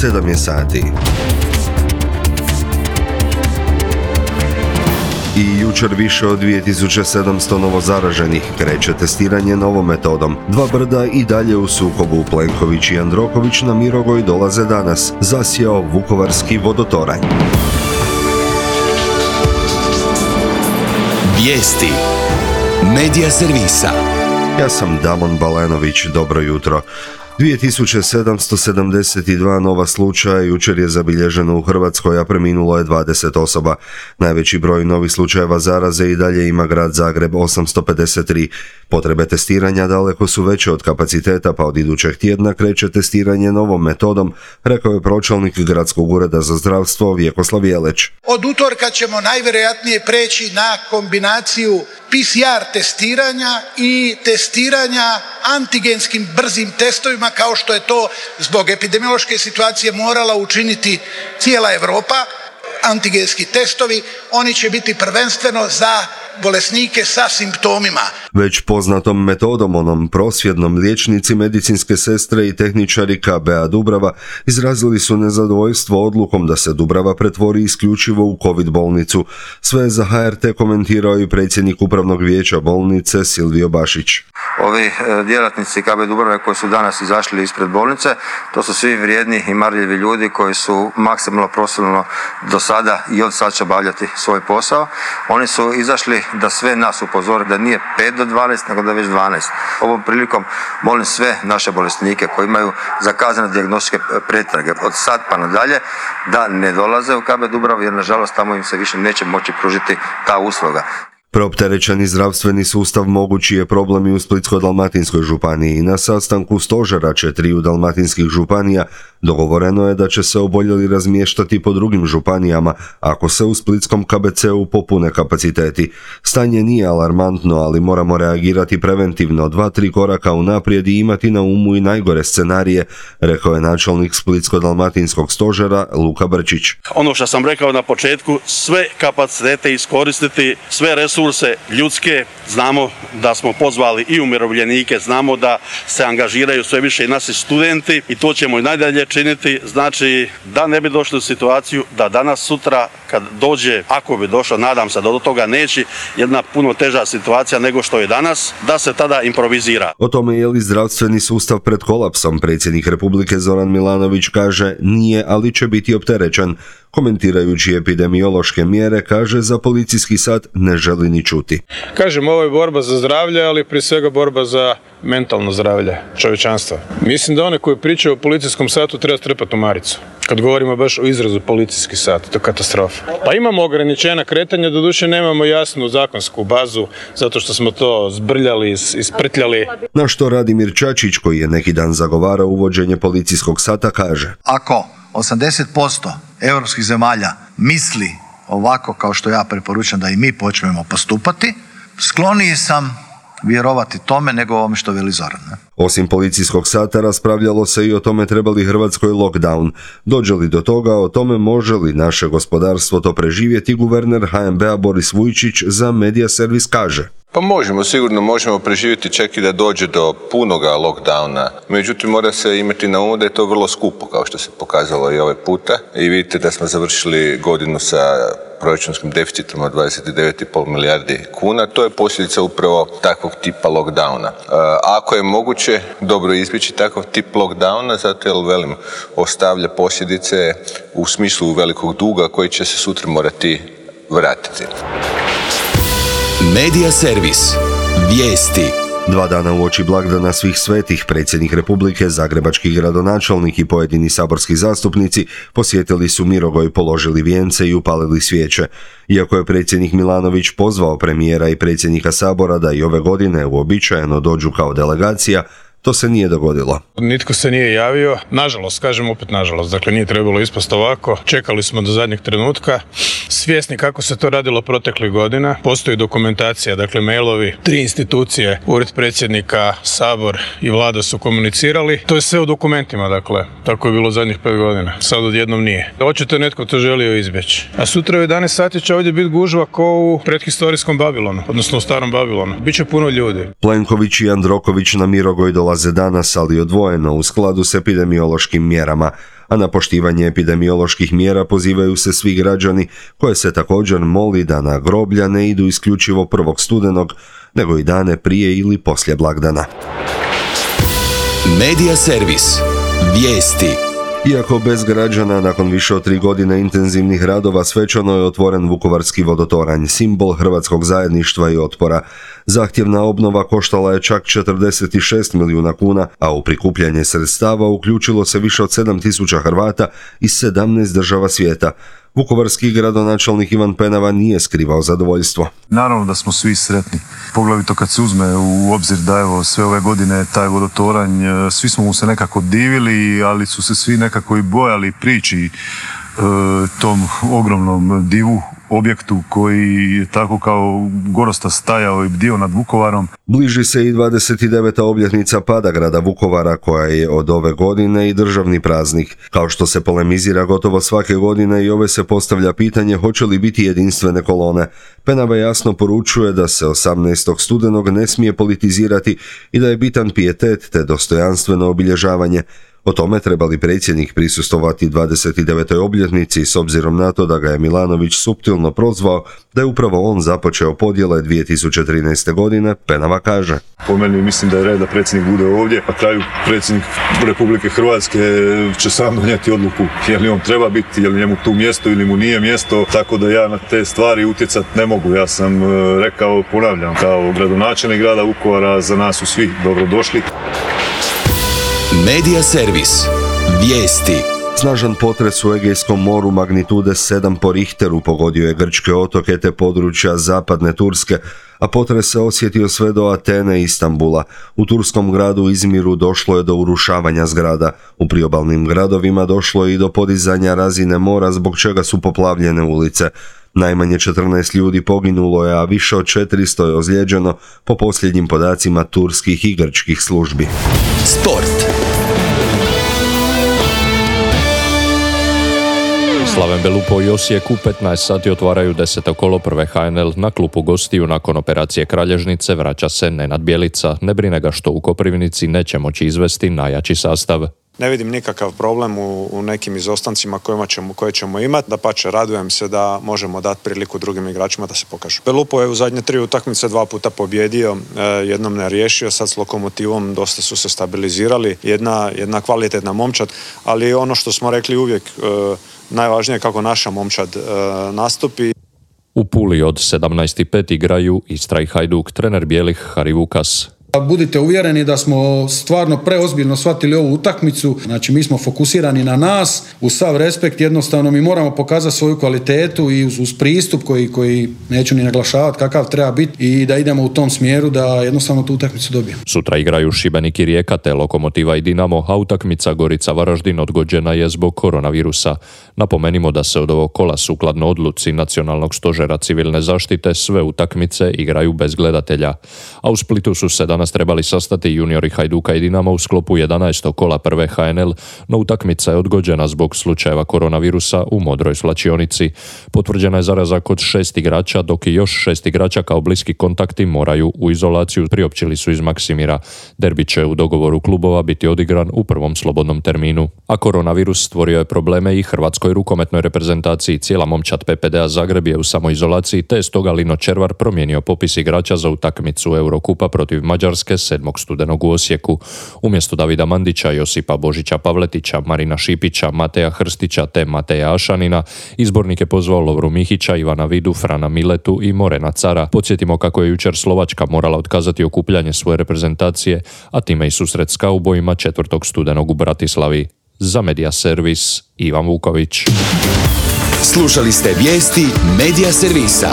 7 je sati. I jučer više od 2700 novozaraženih, kreće testiranje novom metodom. Dva brda i dalje u sukobu. Plenković i Jandroković na Mirogoj dolaze danas. Zasjao vukovarski vodotoranj. Vijesti Medija servisa. Ja sam Damon Balenović, dobro jutro. 2772 nova slučaja jučer je zabilježeno u Hrvatskoj, a preminulo je 20 osoba. Najveći broj novih slučajeva zaraze i dalje ima grad Zagreb, 853. Potrebe testiranja daleko su veće od kapaciteta, pa od idućeg tjedna kreće testiranje novom metodom, rekao je pročelnik Gradskog ureda za zdravstvo Vjekoslav Jeleć. Od utorka ćemo najvjerojatnije preći na kombinaciju PCR testiranja i testiranja antigenskim brzim testovima, kao što je to zbog epidemiološke situacije morala učiniti cijela Europa. Antigenski testovi, oni će biti prvenstveno za bolesnike sa simptomima. Već poznatom metodom, onom prosvjednom, liječnici, medicinske sestre i tehničari KBA Dubrava izrazili su nezadovoljstvo odlukom da se Dubrava pretvori isključivo u COVID bolnicu. Sve za HRT komentirao i predsjednik upravnog vijeća bolnice Silvio Bašić. Ovi djelatnici KB Dubrave koji su danas izašli ispred bolnice, to su svi vrijedni i marljivi ljudi koji su maksimalno profesionalno do sada i od sad će obavljati svoj posao. Oni su izašli da sve nas upozore da nije 5 do 12, nego da je već 12. Ovom prilikom molim sve naše bolesnike koji imaju zakazane dijagnostičke pretrage od sad pa nadalje da ne dolaze u KB Dubravu, jer nažalost tamo im se više neće moći pružiti ta usluga. Preopterećeni zdravstveni sustav mogući je problem i u Splitsko-dalmatinskoj županiji. Na sastanku stožera 4 dalmatinskih županija dogovoreno je da će se oboljeli razmještati po drugim županijama ako se u splitskom KBC-u popune kapaciteti. Stanje nije alarmantno, ali moramo reagirati preventivno, 2-3 koraka unaprijed i imati na umu i najgore scenarije, rekao je načelnik Splitsko-dalmatinskog stožera Luka Brčić. Ono što sam rekao na početku, sve kapacitete iskoristiti, sve resurse ljudske, znamo da smo pozvali i umirovljenike, znamo da se angažiraju sve više i naši studenti i to ćemo i najdalje činiti, znači da ne bi došli u situaciju da danas, sutra kad dođe, ako bi došlo, nadam se da do toga neće, jedna puno teža situacija nego što je danas, da se tada improvizira. O tome je li zdravstveni sustav pred kolapsom, predsjednik Republike Zoran Milanović kaže nije, ali će biti opterećen. Komentirajući epidemiološke mjere, kaže za policijski sat ne želi ni čuti. Kažem, ovo je borba za zdravlje, ali prije svega borba za mentalno zdravlje čovječanstva. Mislim da one koji pričaju o policijskom satu treba strpati u maricu. Kad govorimo baš o izrazu policijski sat, to je katastrofa. Pa imamo ograničena kretanja, doduše nemamo jasnu zakonsku bazu, zato što smo to zbrljali, isprtljali. Na što Radimir Čačić, koji je neki dan zagovarao uvođenje policijskog sata, kaže: Ako 80% europskih zemalja misli ovako kao što ja preporučam da i mi počnemo postupati, skloniji sam vjerovati tome nego ovome što veli Zoran. Osim policijskog sata raspravljalo se i o tome treba li Hrvatskoj lockdown. Dođe li do toga, o tome može li naše gospodarstvo to preživjeti, guverner HNB-a Boris Vujčić za Medija servis kaže: Pa sigurno možemo preživjeti čak i da dođe do punoga lockdowna. Međutim, mora se imati na umu da je to vrlo skupo, kao što se pokazalo i ovaj puta. I vidite da smo završili godinu sa proračunskim deficitom od 29,5 milijardi kuna. To je posljedica upravo takvog tipa lockdowna. Ako je moguće dobro izbjeći takav tip lockdowna, zato jer ostavlja posljedice u smislu velikog duga koji će se sutra morati vratiti. Medija servis. Vijesti. 2 dana uoči blagdana Svih svetih, predsjednik Republike, zagrebački gradonačelnik i pojedini saborski zastupnici posjetili su Mirogoj, položili vijence i upalili svijeće. Iako je predsjednik Milanović pozvao premijera i predsjednika Sabora da i ove godine uobičajeno dođu kao delegacija, to se nije dogodilo. Nitko se nije javio, nažalost, kažem opet nažalost, dakle nije trebalo ispasti ovako, čekali smo do zadnjeg trenutka, svjesni kako se to radilo proteklih godina, postoji dokumentacija, dakle mailovi, 3 institucije, Ured predsjednika, Sabor i Vlada su komunicirali, to je sve u dokumentima, dakle, tako je bilo zadnjih 5 godina, sad odjednom nije. Očito netko to želio izbjeći. A sutra u 11 sati će ovdje biti gužva kao u predhistorijskom Babilonu, odnosno u starom Babilonu. Biće puno ljudi. Plenković i Jandroković na Mirogoj dolaze dolaze danas, ali odvojeno u skladu s epidemiološkim mjerama, a na poštivanje epidemioloških mjera pozivaju se svi građani, koje se također moli da na groblja ne idu isključivo 1. studenog, nego i dane prije ili poslije blagdana. Medija servis. Vijesti. Iako bez građana, nakon više od 3 godine intenzivnih radova svečano je otvoren Vukovarski vodotoranj, simbol hrvatskog zajedništva i otpora. Zahtjevna obnova koštala je čak 46 milijuna kuna, a u prikupljanje sredstava uključilo se više od 7.000 Hrvata iz 17 država svijeta. Vukovarski gradonačelnik Ivan Penava nije skrivao zadovoljstvo. Naravno da smo svi sretni, poglavito kad se uzme u obzir da evo sve ove godine taj vodotoranj, svi smo mu se nekako divili, ali su se svi nekako i bojali priči tom ogromnom divu, objektu koji je tako kao gorosta stajao i bdio nad Vukovarom. Bliži se i 29. obljetnica pada grada Vukovara, koja je od ove godine i državni praznik. Kao što se polemizira gotovo svake godine, i ove se postavlja pitanje hoće li biti jedinstvene kolone. Penava jasno poručuje da se 18. studenog ne smije politizirati i da je bitan pijetet te dostojanstveno obilježavanje. O tome treba li predsjednik prisustvovati 29. obljetnici, s obzirom na to da ga je Milanović suptilno prozvao da je upravo on započeo podjele 2013. godine, Penava kaže. Po meni mislim da je red da predsjednik bude ovdje, a kraju predsjednik Republike Hrvatske će sam donijeti odluku je li on treba biti, je li njemu tu mjesto ili mu nije mjesto, tako da ja na te stvari utjecati ne mogu. Ja sam rekao, ponavljam, kao gradonačelnik grada Vukovara, za nas su svi dobrodošli. Medija servis. Vijesti. Snažan potres u Egejskom moru magnitude 7 po Richteru pogodio je grčke otoke te područja zapadne Turske, a potres se osjetio sve do Atene i Istanbula. U turskom gradu Izmiru došlo je do urušavanja zgrada. U priobalnim gradovima došlo je i do podizanja razine mora, zbog čega su poplavljene ulice. Najmanje 14 ljudi poginulo je, a više od 400 je ozlijeđeno po posljednjim podacima turskih i grčkih službi. Sport. Slaven Belupo i Osijek u 15 sati otvaraju 10. kolo prve HNL. Na klupu gostiju nakon operacije kralježnice vraća se Nenad Bjelica. Ne brine ga što u Koprivnici neće moći izvesti najjači sastav. Ne vidim nikakav problem u nekim izostancima koje ćemo imati. Dapače, radujem se da možemo dati priliku drugim igračima da se pokažu. Belupo je u zadnje 3 utakmice 2 puta pobjedio, jednom ne riješio, sad s Lokomotivom dosta su se stabilizirali. Jedna kvalitetna momčad, ali ono što smo rekli uvijek, najvažnije je kako naša momčad nastupi. U Puli od 17.05 igraju Istra i Hajduk, trener bijelih Hari Vukas. Budite uvjereni da smo stvarno preozbiljno shvatili ovu utakmicu, znači mi smo fokusirani na nas, uz sav respekt jednostavno mi moramo pokazati svoju kvalitetu i uz pristup koji neću ni naglašavati kakav treba biti i da idemo u tom smjeru da jednostavno tu utakmicu dobijemo. Sutra igraju Šibenik i Rijeka te Lokomotiva i Dinamo, a utakmica Gorica Varaždin odgođena je zbog koronavirusa. Napomenimo da se od ovog kola sukladno odluci Nacionalnog stožera civilne zaštite sve utakmice igraju bez gledatelja, a u Splitu su se danas trebali sastati juniori Hajduka i Dinama u sklopu 11. kola prve HNL, no utakmica je odgođena zbog slučajeva koronavirusa u Modroj svlačionici. Potvrđena je zaraza kod 6 igrača, dok i još 6 igrača kao bliski kontakti moraju u izolaciju, priopćili su iz Maksimira. Derbi će u dogovoru klubova biti odigran u prvom slobodnom terminu. A koronavirus stvorio je probleme i hrvatskoj rukometnoj reprezentaciji. Cijela momčad PPD-a Zagreb je u samoizolaciji, te je stoga Lino Červar promijenio popis igrača za utakmicu Eurokupa protiv Mađarske 7. studenog u Osijeku. Umjesto Davida Mandića, Josipa Božića Pavletića, Marina Šipića, Mateja Hrstića te Mateja Ašanina, izbornik je pozvao Lovru Mihića, Ivana Vidu, Frana Miletu i Morena Cara. Podsjetimo kako je jučer Slovačka morala otkazati okupljanje svoje reprezentacije, a time i susret s kaubojima 4. studenog u Bratislavi. Za Medija servis, Ivan Vuković. Slušali ste vijesti Medija servisa.